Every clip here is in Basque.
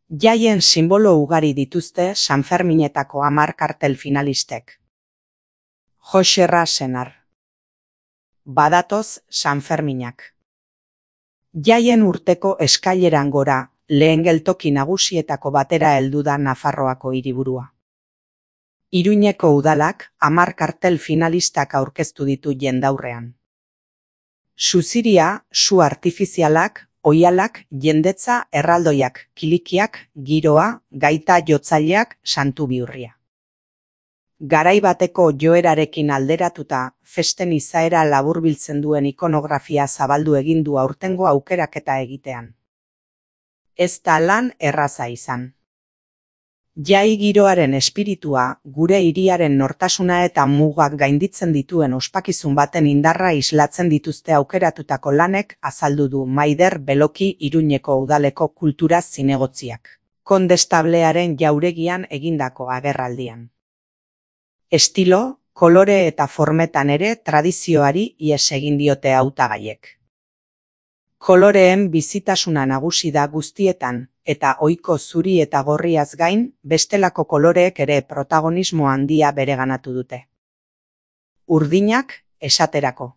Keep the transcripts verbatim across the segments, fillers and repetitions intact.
Jaien sinbolo ugari dituzte Sanferminetako hamar kartel finalistek. Joxerra senar. Badatoz Sanferminak. Jaien urteko eskaileran gora, lehen geltoki nagusietako batera heldu da Nafarroako hiriburua. Iruñeko udalak hamar kartel finalistak aurkeztu ditu jendaurrean. Suziria, su artifizialak, oihalak, jendetza, erraldoiak, kilikiak, giroa, gaita jotzaileak, santu bihurria. Garai bateko joerarekin alderatuta, festen izaera laburbiltzen duen ikonografia zabaldu egin du aurtengo aukeraketa egitean. Ez da lan erraza izan. Jai giroaren espiritua, gure hiriaren nortasuna eta mugak gainditzen dituen ospakizun baten indarra islatzen dituzte aukeratutako lanek azaldu du Maider Beloki Iruñeko udaleko kultura zinegotziak, kondestablearen jauregian egindako agerraldian. Estilo, kolore eta formetan ere tradizioari ihes egin diote hautagaiek. Koloreen bizitasuna nagusi da guztietan, eta ohiko zuri eta gorriaz gain, bestelako koloreek ere protagonismo handia bereganatu dute. Urdinak, esaterako.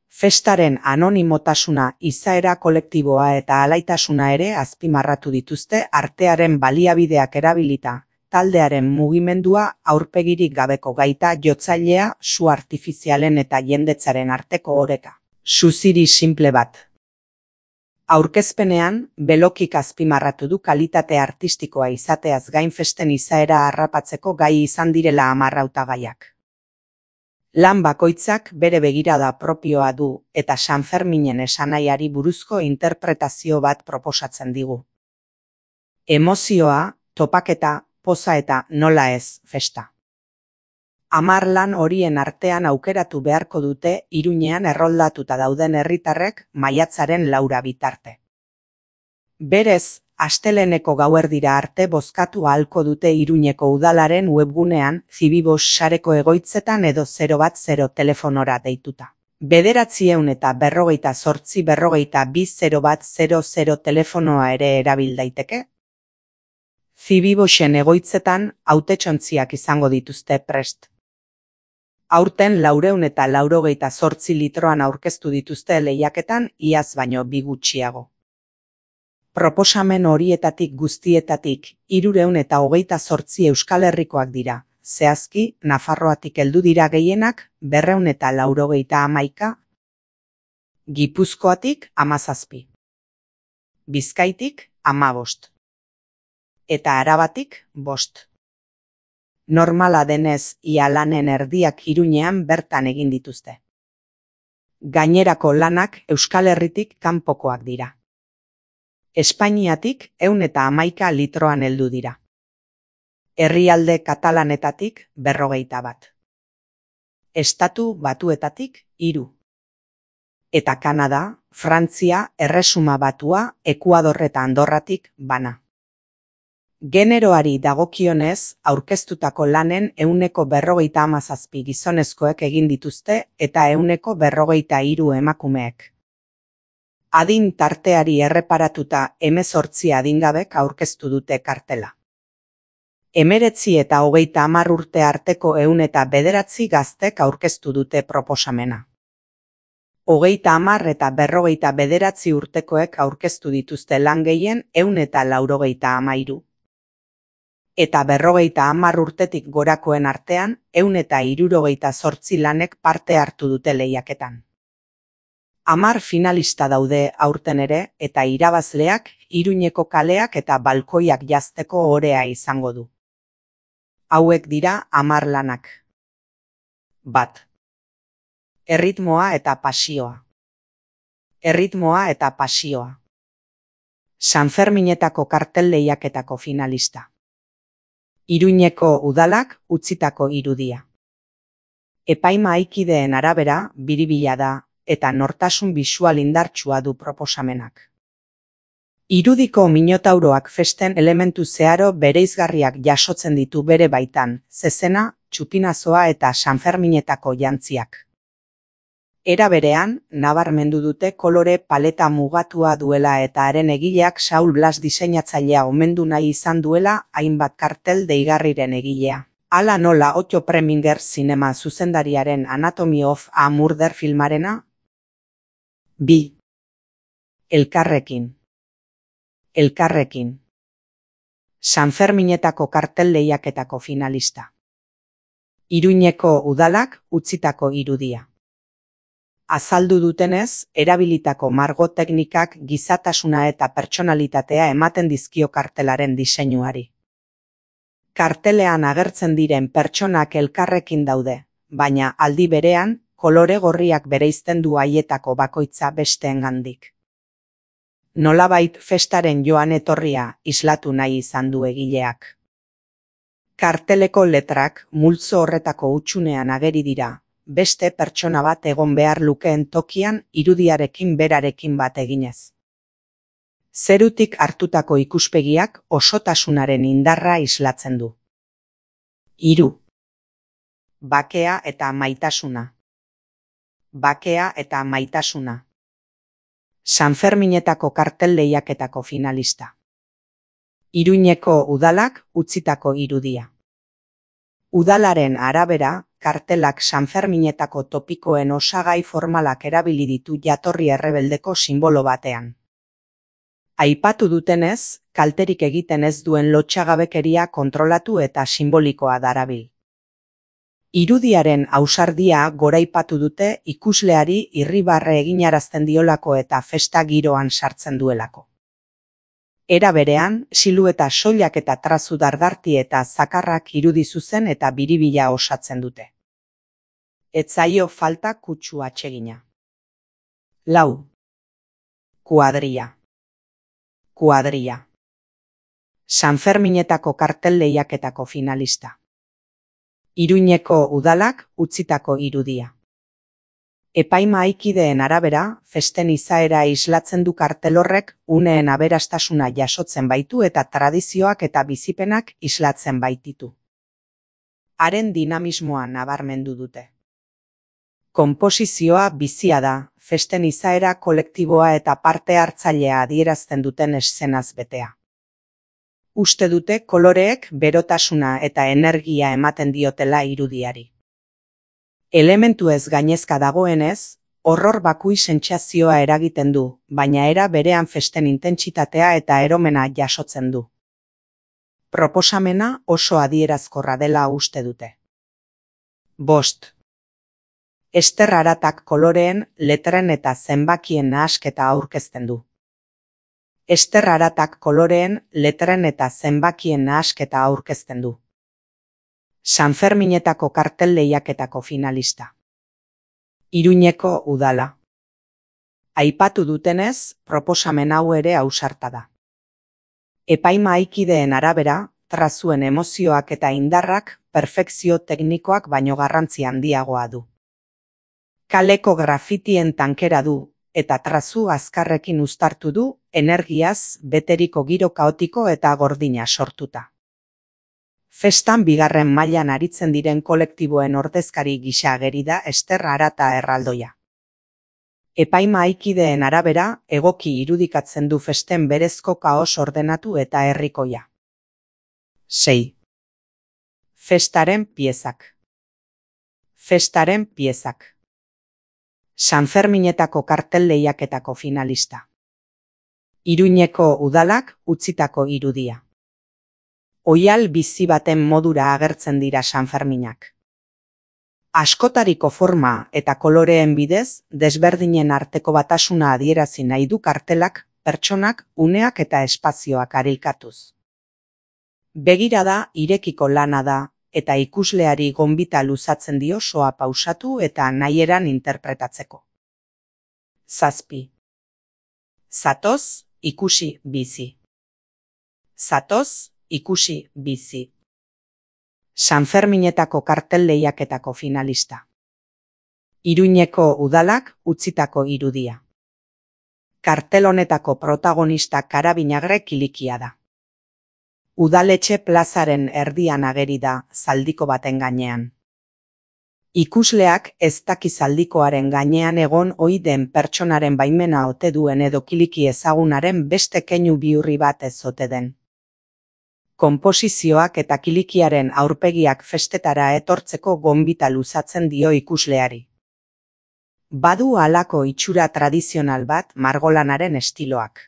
Festaren anonimotasuna, izaera kolektiboa eta alaitasuna ere azpimarratu dituzte artearen baliabideak erabilita, taldearen mugimendua aurpegirik gabeko gaita jotzailea, su artifizialen eta jendetzaren arteko oreka. Suziri simple bat. Aurkezpenean, Belokik azpimarratu du kalitate artistikoa izateaz gain festen izaera harrapatzeko gai izan direla hamar hautagaiak. Lan bakoitzak bere begirada propioa du eta Sanferminen esanaiari buruzko interpretazio bat proposatzen digu. Emozioa, topaketa, poza eta nola ez festa. Hamar lan horien artean aukeratu beharko dute Iruñean erroldatuta dauden herritarrek maiatzaren laura bitarte. Berez, asteleheneko gauerdira arte bozkatu ahalko dute Iruñeko udalaren webgunean Zibibos sareko egoitzetan edo zero bat zero telefonora deituta. Bederatziehun eta berrogeita zortzi berrogeita bi zero bat zero zero telefonoa ere erabil daiteke. Zibibosen egoitzetan hautetsontziak izango dituzte prest. Aurten laureun eta laurogeita zortzi litroan aurkeztu dituzte lehiaketan iaz baino bi gutxiago. Proposamen horietatik guztietatik hirureun eta hogeita zortzi Euskal Herrikoak dira, zehazki Nafarroatik heldu dira gehienak berreun eta laurogeita hamaika, Gipuzkoatik hamazazpi, Bizkaitik hamabost, eta Arabatik bost. Normala denez, ia lanen erdiak Iruñean bertan egin dituzte. Gainerako lanak Euskal Herritik kanpokoak dira. Espainiatik ehun eta hamaika litroan heldu dira. Herrialde katalanetatik berrogeita bat. Estatu Batuetatik hiru. Eta Kanada, Frantzia, Erresuma Batua, Ekuador eta Andorratik bana. Generoari dagokionez, aurkeztutako lanen ehuneko berrogeita hamazazpi gizonezkoek egin dituzte eta ehuneko berrogeita hiru emakumeek. Adin tarteari erreparatuta hemezortzi adingabek aurkeztu dute kartela. Hemeretzi eta hogeita hamar urte arteko ehun eta bederatzi gaztek aurkeztu dute proposamena. Hogeita hamar eta berrogeita bederatzi urtekoek aurkeztu dituzte lan gehien ehun eta laurogeita hamairu. Eta berrogeita hamar urtetik gorakoen artean, ehun eta hirurogeita zortzi lanek parte hartu dute lehiaketan. Hamar finalista daude aurten ere, eta irabazleak Iruñeko kaleak eta balkoiak jazteko orea izango du. Hauek dira hamar lanak. Bat. Erritmoa eta pasioa. Erritmoa eta pasioa. Sanferminetako kartel lehiaketako finalista. Iruñeko udalak utzitako irudia. Epaimahaikideen arabera biribila da eta nortasun bisual indartsua du proposamenak. Irudiko minotauroak festen elementu zeharo bereizgarriak jasotzen ditu bere baitan, zezena, txupinazoa eta Sanferminetako jantziak. Era berean, nabarmendu dute kolore paleta mugatua duela eta haren egileak Saul Blas diseinatzailea omendu nahi izan duela hainbat kartel deigarriren egilea. Hala nola Otto Preminger zinema zuzendariaren Anatomy of a Murder filmarena? bi. Elkarrekin. Elkarrekin. Sanferminetako kartel lehiaketako finalista. Iruñeko udalak utzitako irudia. Azaldu dutenez, erabilitako margo teknikak gizatasuna eta pertsonalitatea ematen dizkio kartelaren diseinuari. Kartelean agertzen diren pertsonak elkarrekin daude, baina aldi berean, kolore gorriak bereizten du haietako bakoitza besteengandik. Nolabait festaren joan etorria islatu nahi izan du egileak. Karteleko letrak multzo horretako hutsunean ageri dira, beste pertsona bat egon behar lukeen tokian irudiarekin berarekin bat eginez. Zerutik hartutako ikuspegiak osotasunaren indarra islatzen du. Hiru. Bakea eta maitasuna. Bakea eta maitasuna. Sanferminetako kartel lehiaketako finalista. Iruñeko udalak utzitako irudia. Udalaren arabera, kartelak Sanferminetako topikoen osagai formalak erabili ditu jatorri errebeldeko sinbolo batean. Aipatu dutenez, kalterik egiten ez duen lotsagabekeria kontrolatu eta simbolikoa darabil. Irudiaren ausardia goraipatu dute ikusleari irribarre eginarazten diolako eta festa giroan sartzen duelako. Era berean, silueta soilak eta trazu dardarti eta zakarrak irudi zuzen eta biribila osatzen dute. Ez zaio falta kutsu atsegina. Lau. Kuadria. Kuadria. Sanferminetako kartel lehiaketako finalista. Iruñeko udalak utzitako irudia. Epaimahaikideen arabera, festen izaera islatzen du kartel horrek uneen aberastasuna jasotzen baitu eta tradizioak eta bizipenak islatzen baititu. Haren dinamismoa nabarmendu dute. Konposizioa bizia da, festen izaera kolektiboa eta parte hartzailea adierazten duten eszenaz betea. Uste dute koloreek berotasuna eta energia ematen diotela irudiari. Elementu ez gainezka dagoenez, horror bakui sentsazioa eragiten du, baina era berean festen intentsitatea eta eromena jasotzen du. Proposamena oso adierazkorra dela uste dute. Bost. Ester Aratak koloreen, letren eta zenbakien nahasketa aurkezten du. Ester Aratak koloreen, letren eta zenbakien nahasketa aurkezten du. Sanferminetako kartel lehiaketako finalista. Iruñeko udala. Aipatu dutenez, proposamen hau ere ausarta da. Epaimahaikideen arabera, trazuen emozioak eta indarrak perfekzio teknikoak baino garrantzi handiagoa du. Kaleko grafitien tankera du, eta trazu azkarrekin uztartu du, energiaz beteriko giro kaotiko eta gordina sortuta. Festan bigarren mailan aritzen diren kolektiboen ordezkari gisa ageri da Ester Arata erraldoia. Epaimahaikideen arabera, egoki irudikatzen du festen berezko kaos ordenatu eta herrikoia. Sei. Festaren piezak. Festaren piezak. Sanferminetako kartel lehiaketako finalista. Iruñeko udalak utzitako irudia. Oihal bizi baten modura agertzen dira Sanferminak. Askotariko forma eta koloreen bidez, desberdinen arteko batasuna adierazi nahi du kartelak, pertsonak, uneak eta espazioak areikatuz. Begirada irekiko lana da, eta ikusleari gonbita luzatzen dio soa pausatu eta nahieran interpretatzeko. Zazpi. Zatoz, ikusi, bizi. Zatoz, ikusi, bizi. Sanferminetako kartel lehiaketako finalista. Iruñeko udalak utzitako irudia. Kartel honetako protagonista karabinagre kilikia da. Udaletxe plazaren erdian ageri da, zaldiko baten gainean. Ikusleak ez daki zaldikoaren gainean egon ohi den pertsonaren baimena ote duen edo kiliki ezagunaren beste keinu bihurri bat ez ote den. Konposizioak eta kilikiaren aurpegiak festetara etortzeko gonbita luzatzen dio ikusleari. Badu halako itxura tradizional bat margolanaren estiloak.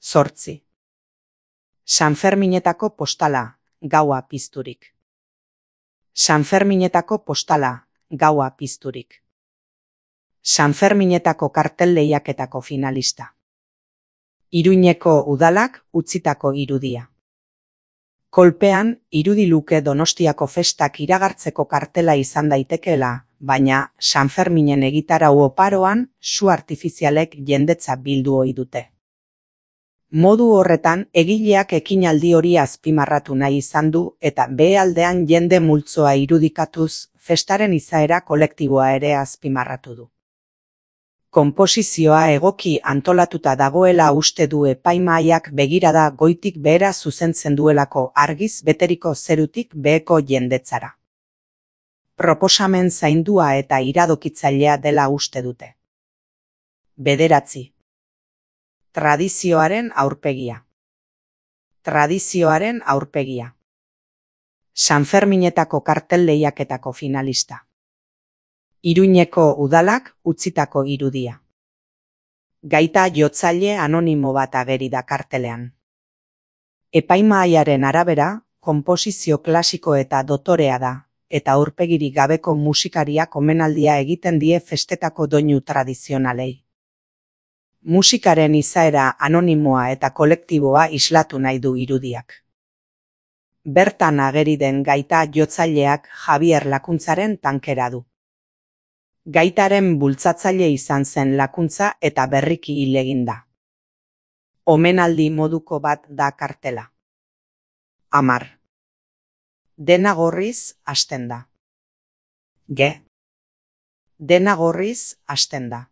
Zortzi. Sanferminetako postala, gaua pizturik. Sanferminetako postala, gaua pizturik. Sanferminetako kartel lehiaketako finalista. Iruñeko udalak utzitako irudia. Kolpean, irudi luke Donostiako festak iragartzeko kartela izan daitekeela, baina Sanferminen egitarau oparoan su artifizialek jendetza bildu ohi dute. Modu horretan, egileak ekinaldi hori azpimarratu nahi izan du eta behealdean jende multzoa irudikatuz, festaren izaera kolektiboa ere azpimarratu du. Konposizioa egoki antolatuta dagoela uste du epaimahaiak begirada goitik behera zuzentzen duelako argiz beteriko zerutik beheko jendetzara. Proposamen zaindua eta iradokitzailea dela uste dute. Bederatzi. Tradizioaren aurpegia. Tradizioaren aurpegia. Sanferminetako kartel lehiaketako finalista. Iruñeko udalak utzitako irudia. Gaita jotzaile anonimo bat ageri da kartelean. Epaimahaiaren arabera, konposizio klasiko eta dotorea da, eta aurpegirik gabeko musikariak omenaldia egiten die festetako doinu tradizionalei. Musikaren izaera anonimoa eta kolektiboa islatu nahi du irudiak. Bertan ageri den gaita jotzaileak Javier Lakuntzaren tankera du. Gaitaren bultzatzaile izan zen Lakuntza eta berriki hil egin da. Omenaldi moduko bat da kartela. Amar. Dena gorriz hasten da. Ge. Dena gorriz hasten da.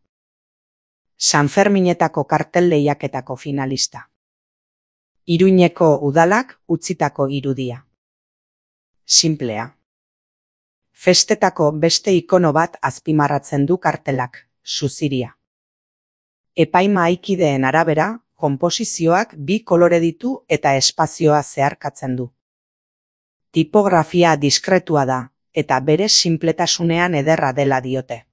Sanferminetako kartel lehiaketako finalista. Iruñeko udalak utzitako irudia. Sinplea. Festetako beste ikono bat azpimarratzen du kartelak, suziria. Epaimahaikideen arabera, konposizioak bi kolore ditu eta espazioa zeharkatzen du. Tipografia diskretua da, eta bere sinpletasunean ederra dela diote.